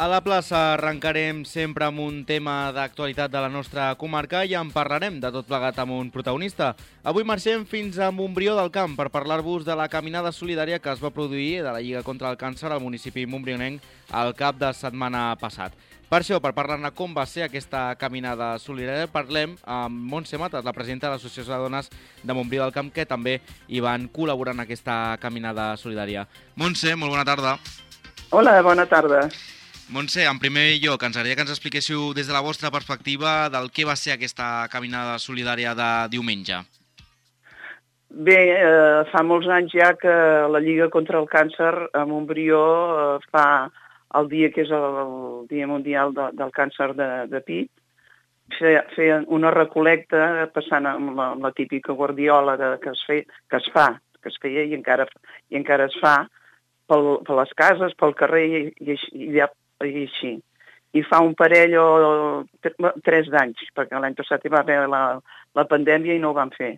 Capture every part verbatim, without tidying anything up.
A la plaça arrencarem sempre amb un tema d'actualitat de la nostra comarca i en parlarem de tot plegat amb un protagonista. Avui marxem fins a Montbrió del Camp per parlar-vos de la caminada solidària que es va produir de la Lliga contra el Càncer al municipi montbrionenc al cap de setmana passat. Per això, per parlar-ne com va ser aquesta caminada solidària, parlem amb Montse Matas, la presidenta de l'Associació de Dones de Montbrió del Camp, que també hi van col·laborar en aquesta caminada solidària. Montse, molt bona tarda. Hola, bona tarda. Montse, en primer lloc, ens agradaria que ens expliquéssiu des de la vostra perspectiva del que va ser aquesta caminada solidària de diumenge. Bé, eh, fa molts anys ja que la Lliga contra el Càncer a Montbrió eh, fa el dia que és el, el Dia Mundial de, del Càncer de, de pit, feien fe una recol·lecta passant amb la, amb la típica guardiola de, que, es fe, que es fa, que es feia i encara, i encara es fa pel, per les cases, pel carrer i, i, i, i i així. I fa un parell o tres d'anys, perquè l'any passat hi va haver la, la pandèmia i no ho van fer,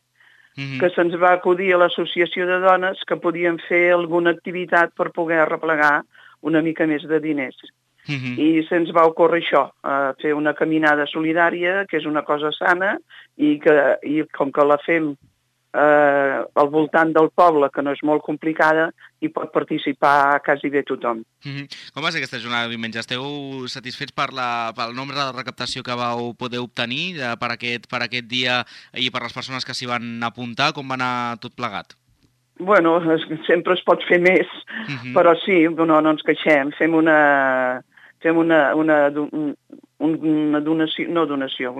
mm-hmm. que se'ns va acudir a l'associació de dones que podien fer alguna activitat per poder arreplegar una mica més de diners. Mm-hmm. I se'ns va ocórrer això, eh, fer una caminada solidària, que és una cosa sana, i, que, i com que la fem eh, al voltant del poble, que no és molt complicada, hi pot participar quasi bé tothom. Mm-hmm. Com va ser aquesta jornada de diumenge? Esteu satisfets per la, pel nombre de recaptació que vau poder obtenir eh, per, aquest, per aquest dia i per les persones que s'hi van apuntar? Com va anar tot plegat? Bueno, sempre es pot fer més, mm-hmm. però sí, no, no ens queixem. Fem una, fem una, una, un, una donació, no donació,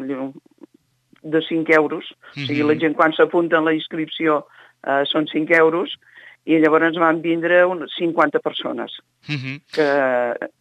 de cinc euros. Mm-hmm. O sigui, la gent quan s'apunta en la inscripció eh, són cinc euros, i llavors ens van vindre cinquanta persones, mm-hmm. que,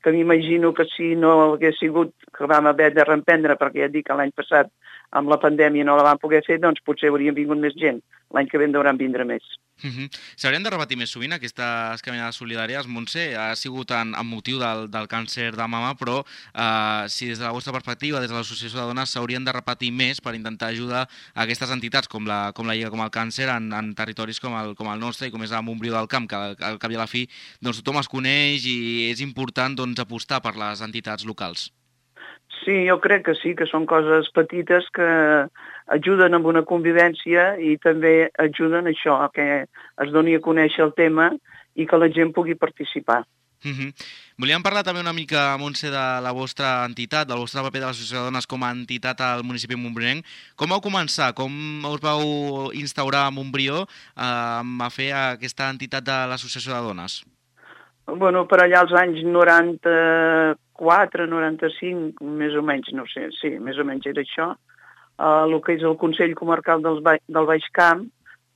que m'imagino que si no hagués sigut que vam haver de reemprendre, perquè ja et dic que l'any passat amb la pandèmia no la vam poder fer, doncs potser haurien vingut més gent. L'any que ve en deuran vindre més. Mm-hmm. S'haurien de repetir més sovint aquestes caminades solidàries, Montse? Ha sigut en, en motiu del, del càncer de mama, però eh, si des de la vostra perspectiva, des de l'Associació de Dones, s'haurien de repetir més per intentar ajudar a aquestes entitats com la, com la Lliga com el Càncer en, en territoris com el, com el nostre i com és a Montbrió del Camp, que al, al cap i a la fi doncs, tothom es coneix i és important doncs, apostar per les entitats locals. Sí, jo crec que sí, que són coses petites que ajuden amb una convivència i també ajuden a això, a que es doni a conèixer el tema i que la gent pugui participar. Mm-hmm. Volíem parlar també una mica, Montse, de la vostra entitat, del vostre paper de l'Associació de Dones com a entitat al municipi montbrionenc. Com vau començar? Com us vau instaurar a Montbrió eh, a fer aquesta entitat de l'Associació de Dones? Bueno, per allà als anys noranta-quatre, noranta-cinc, més o menys, no sé, sí, més o menys era això, uh, el que és el Consell Comarcal del, ba del Baix Camp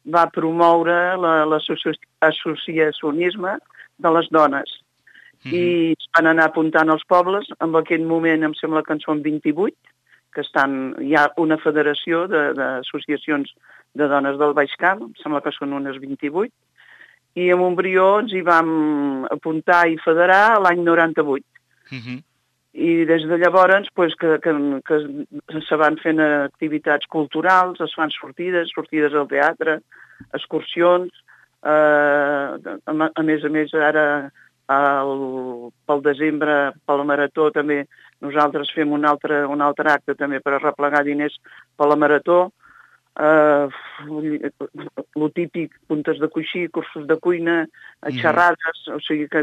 va promoure l'associacionisme de les dones. Mm-hmm. I es van anar apuntant als pobles, en aquell moment em sembla que en són vint-i-vuit, que estan, hi ha una federació d'associacions de, de dones del Baix Camp, em sembla que són unes vint-i-vuit, i a Montbrió ens hi vam apuntar i federar l'any noranta-vuit. Mm-hmm. I des de llavors pues, que, que, que se van fent activitats culturals, es fan sortides, sortides al teatre, excursions, eh, a, a més a més ara el, pel desembre, pel marató també nosaltres fem un altre, un altre acte també per arreplegar diners per la marató. Uh, lo típic, puntes de coixí, cursos de cuina, xerrades, mm-hmm. o sigui que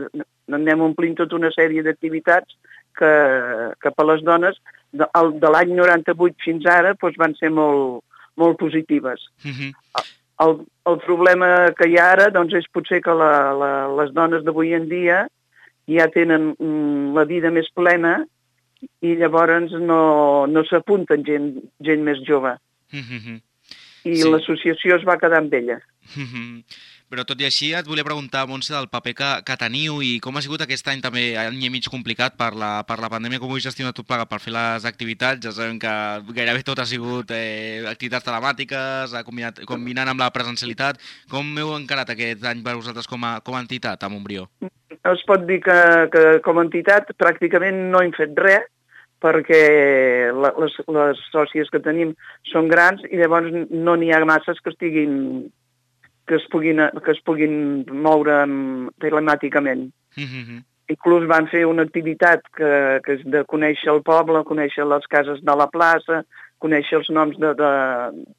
anem omplint tota una sèrie d'activitats que, que per les dones de, de l'any noranta-vuit fins ara doncs, van ser molt, molt positives. Mm-hmm. el, el problema que hi ha ara doncs, és potser que la, la, les dones d'avui en dia ja tenen mm, la vida més plena i llavors no, no s'apunten gent, gent més jove. Mm-hmm. I sí. L'associació es va quedar amb ella. Mm-hmm. Però tot i així et volia preguntar, Montse, del paper que, que teniu i com ha sigut aquest any també, any i mig complicat per la, per la pandèmia, com ho heu gestionat tot plegat per fer les activitats. Ja sabem que gairebé tot ha sigut eh, activitats telemàtiques, combinat, combinant amb la presencialitat. Com heu encarat aquest any per vosaltres com a, com a entitat a Montbrió? Es pot dir que, que com a entitat pràcticament no hem fet res, perquè les, les sòcies que tenim són grans i llavors no n'hi ha masses que estiguin que es puguin, que es puguin moure telemàticament. Mm-hmm. inclús van fer una activitat que, que és de conèixer el poble, conèixer les cases de la plaça, conèixer els noms de, de,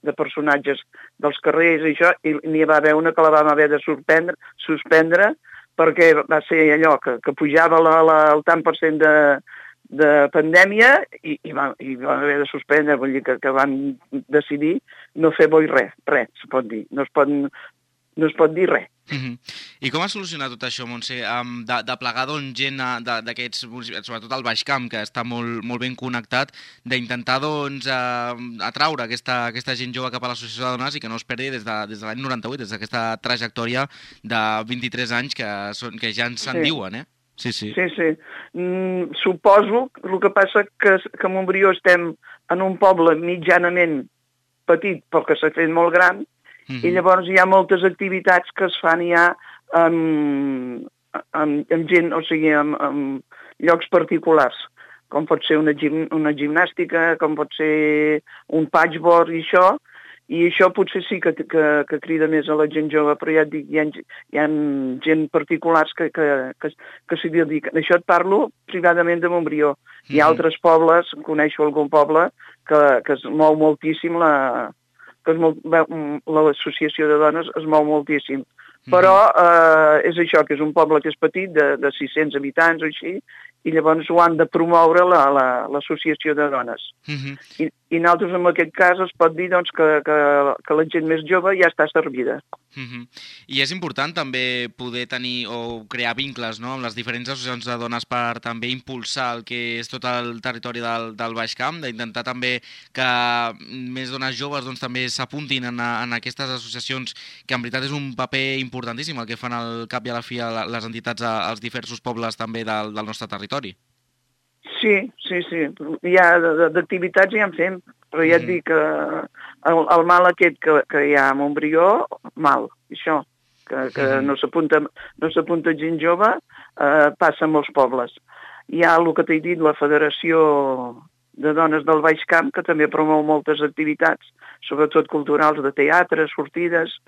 de personatges dels carrers i això, i n'hi va haver una que la vam haver de suspendre, suspendre perquè va ser allò que, que pujava la, la, el tant per cent de, de pandèmia i, i, va, i va haver de suspendre, vull dir que, que van decidir no fer bo i res, res, se pot dir. No es pot, no es pot dir res. Mm-hmm. I com ha solucionat tot això, Montse? Um, de, de plegar doncs, gent d'aquests, sobretot al Baix Camp, que està molt, molt ben connectat, d'intentar doncs, uh, atraure aquesta, aquesta gent jove cap a l'associació de dones i que no es perdi des de, des de l'any noranta-vuit, des d'aquesta trajectòria de vint-i-tres anys que, són, que ja ens se'n Sí. diuen, eh? Sí, sí. Sí, sí. Mm, suposo, el que passa que, que a Montbrió estem en un poble mitjanament petit, però que s'ha fet molt gran, Mm-hmm. i llavors hi ha moltes activitats que es fan ja amb, amb, amb gent, o sigui, amb, amb llocs particulars, com pot ser una, gim, una gimnàstica, com pot ser un patchboard i això, i això potser sí que, que, que crida més a la gent jove, però ja et dic, hi ha, hi ha gent particulars que, que, que, que s'hi dediquen. Això et parlo privadament de Montbrió. Hi ha Mm-hmm. altres pobles, coneixo algun poble, que, que es mou moltíssim la... que es molt, l'associació de dones es mou moltíssim. Però eh, és això, que és un poble que és petit, de, de sis-cents habitants o així, i llavors ho han de promoure l'associació la, la, de dones. Mm-hmm. I, I nosaltres, en aquest cas, es pot dir doncs, que, que, que la gent més jove ja està servida. Mm-hmm. I és important també poder tenir o crear vincles, no?, amb les diferents associacions de dones per també impulsar el que és tot el territori del, del Baix Camp, d'intentar també que més dones joves doncs, també s'apuntin en, en aquestes associacions, que en veritat és un paper importantíssim el que fan al cap i a la fi a les entitats als diversos pobles també del, del nostre territori. Sí, sí, sí. Hi ha d'activitats ja en fem, però ja et Mm. dic que el, el mal aquest que, que hi ha a Montbrió, mal, això, que, que Mm. no s'apunta no s'apunta gent jove, eh, passa a molts pobles. Hi ha el que t'he dit, la Federació de Dones del Baix Camp, que també promou moltes activitats, sobretot culturals, de teatre, sortides,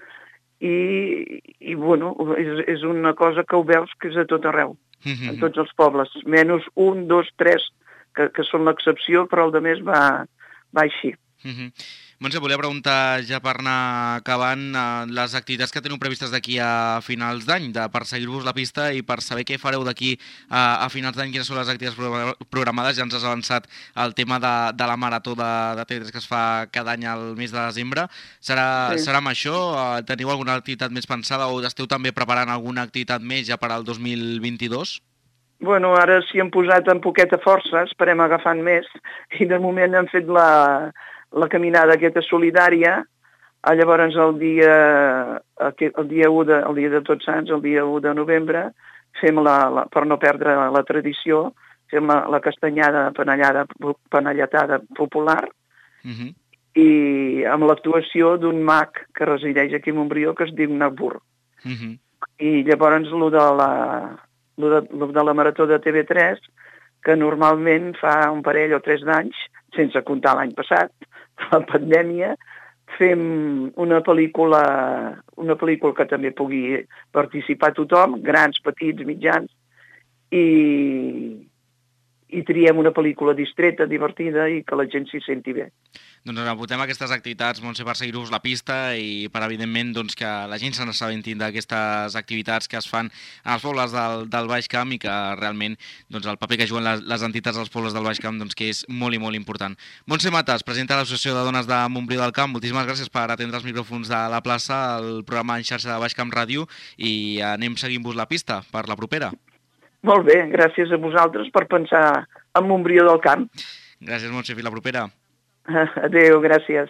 i, i bueno, és, és una cosa que ho veus que és a tot arreu. Mm-hmm. En tots els pobles, menys un, dos, tres, que, que són l'excepció, però el de més va, va així. Mm-hmm. Montse, volia preguntar, ja per anar acabant, eh, les activitats que teniu previstes d'aquí a finals d'any, de per seguir-vos la pista i per saber què fareu d'aquí a, a finals d'any, quines són les activitats programades. Ja ens has avançat el tema de, de la marató de, de T V tres que es fa cada any al mes de desembre. Serà, Sí. serà amb això? Eh, teniu alguna activitat més pensada o esteu també preparant alguna activitat més ja per al dos mil vint-i-dos? Bueno, ara s'hi han posat amb poqueta força, esperem agafant més, i de moment han fet la, la caminada aquesta solidària. Ah, llavors el dia, el dia u de, el dia de Tots Sants, el dia u de novembre, fem la, la, per no perdre la tradició, fem la, la castanyada panellada, panelletada popular, Mm-hmm. i amb l'actuació d'un mag que resideix aquí a Montbrió, que es diu Nabur. Mm-hmm. I llavors el de la, lo de, lo de la marató de T V tres, que normalment fa un parell o tres d'anys, sense comptar l'any passat, la pandèmia, fem una pel·lícula, una pel·lícula que també pugui participar tothom, grans, petits, mitjans, i, i triem una pel·lícula distreta, divertida i que la gent s'hi senti bé. Doncs ens apuntem aquestes activitats, Montse, per seguir-vos la pista i per, evidentment, doncs, que la gent se n'assabentin d'aquestes activitats que es fan en els pobles del, del Baix Camp i que realment doncs, el paper que juguen les, les entitats als pobles del Baix Camp doncs, que és molt i molt important. Montse Matas, presidenta de l'Associació de Dones de Montbrió del Camp, moltíssimes gràcies per atendre els micròfons de la plaça, el programa en xarxa de Baix Camp Ràdio, i anem seguint-vos la pista per la propera. Molt bé, gràcies a vosaltres per pensar en Montbrió del Camp. Gràcies, Montse, fins la propera. Adéu, gràcies.